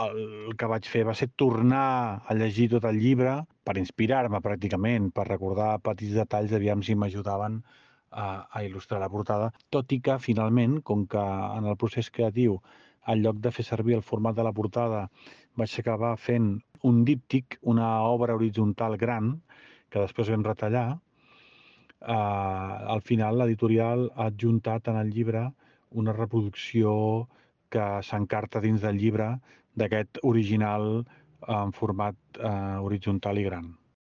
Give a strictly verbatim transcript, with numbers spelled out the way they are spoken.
el que vaig fer va ser tornar a llegir tot el llibre per inspirar-me pràcticament, per recordar petits detalls, aviam si m'ajudaven a, a il·lustrar la portada, tot i que finalment, com que en el procés creatiu, en lloc de fer servir el format de la portada, vaig acabar fent un díptic, una obra horitzontal gran, que després vam retallar, eh, al final l'editorial ha adjuntat en el llibre una reproducció que s'encarta dins del llibre d'aquest original en format eh, horitzontal i gran.